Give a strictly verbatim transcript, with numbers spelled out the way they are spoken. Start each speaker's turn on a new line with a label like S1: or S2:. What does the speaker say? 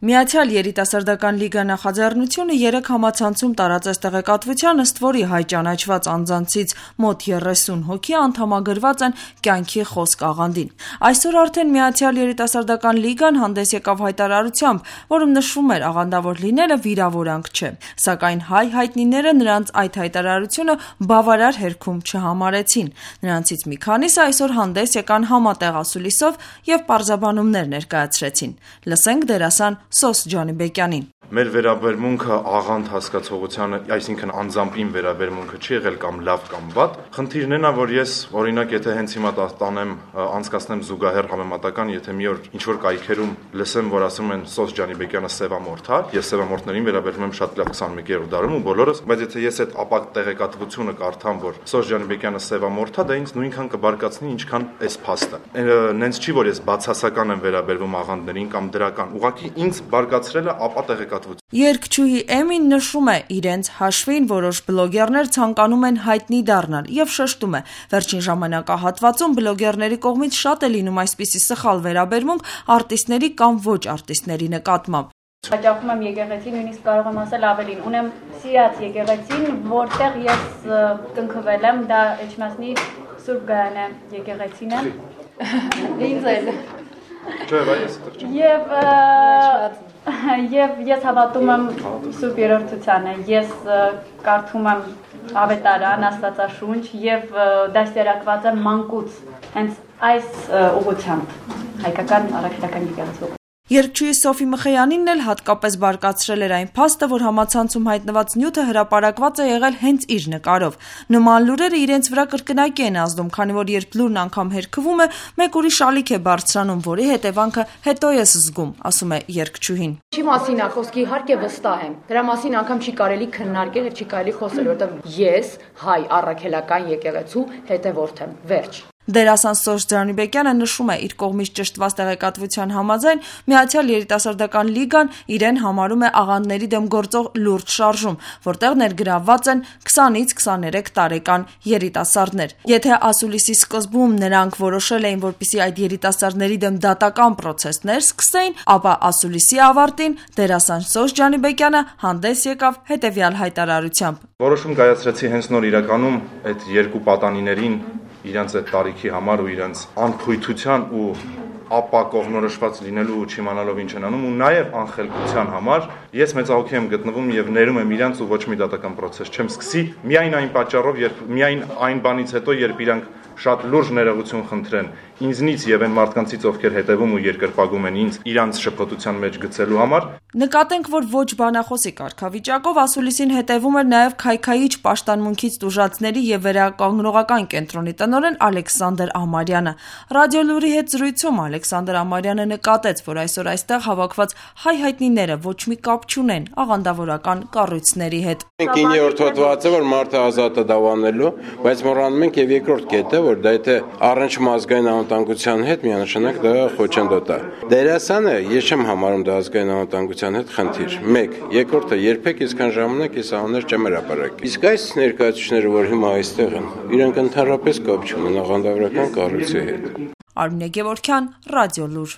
S1: Միացյալ երիտասարդական լիգա նախաձեռնությունը երեք համացանցում տարածեց տեղեկատվության, ըստ որի հայ ճանաչված անձանցից մոտ երեսուն հոգի անդամագրված են կյանքի խոսք աղանդին։ Այսօր արդեն Միացյալ երիտասարդական լիգան հանդես եկավ հայտարարությամբ, որում նշվում էր աղանդավոր լինելը վիրավորանք չէ, սակայն հայ հայտնիները նրանց այդ հայտարարությունը բավարար հերքում չհամարեցին։ Նրանցից մի քանիսը այսօր հանդես եկան համատեղ ասուլիսով և պարզաբանումներ ներկայացրեցին։ Լսենք դերասան Սոս Ջանիբեկյանին։
S2: Մեր վերաբերմունքը աղանդ հասկացողությանը, այսինքն անձամբին վերաբերմունքը չի եղել կամ լավ կամ վատ։ Խնդիրն է նա, որ ես օրինակ եթե հենց հիմա տանեմ անցկացնեմ զուգահեռ համեմատական, եթե մի օր ինչ որ կայքերում լսեմ, որ ասում են Սոս Ջանիբեկյանը սևամորթ է, ես սևամորթներին վերաբերվում եմ շատ լավ քսանմեկերորդ դարում ու բոլորս, բայց եթե ես այդ ապակ տեղեկատվությունը կարդամ, որ Սոս Ջանիբեկյանը սևամորթ է, դա ինձ նույնքան կբարկացնի, ինչքան այս փաստը։ Նենց չի, որ ես բացասական եմ վերաբերվում աղանդներին կամ դրական, ուղղակի ինձ բարկացրել է ապա տեղեկատվությունը։
S1: Երգչուհի Էմին նշում է իրենց հաշվին որոշ բլոգերներ ցանկանում են հայտնի դառնալ և շեշտում է. վերջին ժամանակահատվածում բլոգերների կողմից շատ է լինում այսպիսի սխալ վերաբերմունք արտիստների կամ ոչ արտիստների նկատմամբ։
S3: Հաճախում եմ եկեղեցի, նույնիսկ կարող եմ ասել ավելին, ունեմ սիրած եկեղեցին, որտեղ ես կնքվել եմ, դա Էջմիածնի Սուրբ Գայանե եկեղեցին է։ Ինձ էլ։
S2: Չէ, բայց
S3: Եվ Եվ ես հավատում եմ Սուրբ Երրորդությանը, ես կարդում եմ ավետարան, Աստվածաշունչ և դաստիարակված եմ մանկուց հենց այս ուղղությամբ հայկական առաքելական եկեղեցու։
S1: Երգչուհի Սոֆի Մխեյանինն էլ հատկապես բարկացրել էր այն փաստը, որ համացանցում հայտնված նյութը հրապարակված է եղել հենց իր նկարով։ Նման լուրերը իրենց վրա կրկնակի են ազդում, քանի որ երբ լուրն անգամ հերքվում է, մեկ ուրիշ ալիք է բարձրանում, որի հետևանքը հետո ես զգում, ասում է երգչուհին։
S4: Չի մասին է խոսքի, իհարկե վստահ եմ։ Դրա մասին անգամ չի կարելի քննարկել, չի կարելի խոսել, որովհետև ես հայ առաքելական եկեղեցու հետևորդ եմ։ Վերջ։
S1: Դերասան Սոս Ջանիբեկյանը նշում է, իր կողմից ճշտված տեղեկատվության համաձայն Միացյալ երիտասարդական լիգան իրեն համարում է աղանդների դեմ գործող լուրջ շարժում, որտեղ ներգրավված են քսանից քսաներեք տարեկան երիտասարդներ։ Եթե ասուլիսի սկզբում նրանք որոշել էին, որպեսզի այդ երիտասարդների դեմ դատական պրոցեսներ սկսեին, ապա ասուլիսի ավարտին դերասան Սոս Ջանիբեկյանը հանդես եկավ հետևյալ հայտարարությամբ.
S2: Որոշում կայացրեցի հենց նոր իրականում այդ երկու պատանիներին իրենց այդ տարիքի համար ու իրենց անփույթության ու ապա կողմնորոշված լինելու ու չիմանալով ինչ են անում ու նաև անխելքության համար ես մեծահոգի եմ գտնվում եւ ներում եմ իրենց ու ոչ մի դատական պրոցես չեմ սկսի միայն այն պատճառով, երբ միայն այն բանից հետո, երբ իրանք շատ լուրջ ներողություն խնդրեն ինձնից եւ այն մարդկանցից, ովքեր հետևում ու երկրպագում են ինձ իրանց շփոթության մեջ գցելու համար։
S1: Նկատենք, որ ոչ բանախոսի կարգավիճակով ասուլիսին հետևում էր նաև քայքայիչ պաշտամունքից տուժածների եւ վերականգնողական կենտրոնի տնօրեն Ալեքսանդր Ամարյանը։ Ռադիոլուրի հետ զրույցում Ալեքսանդր Ամարյանը նկատեց, որ այսօր այստեղ հավաքված հայ հայտնիները ոչ մի կապ չունեն աղանդավորական կառույցների հետ։
S5: Մենք իններորդ հոդվածը, որ մարդը ազատ է դավանելու, բայց մոռանում ենք եւ երկրորդ կետը, որ դա եթե առնչվում ազգային անվտանգության հետ միանշանակ դա խոչընդոտ է։ Դերասանը ես չեմ համարում դա ազգային անվտանգության հետ խնդիր։ մեկ. Երկրորդը երբեք այսքան ժամանակ այս աններ չեմ հրապարակել։ Իսկ այս ներկայացուցիչները, որ հիմա այստեղ են, իրենք ընդհանրապես կապ չունեն աղանդավորական կառույցի հետ։
S1: Արմինե Գևորգյան, Ռադիոլուր։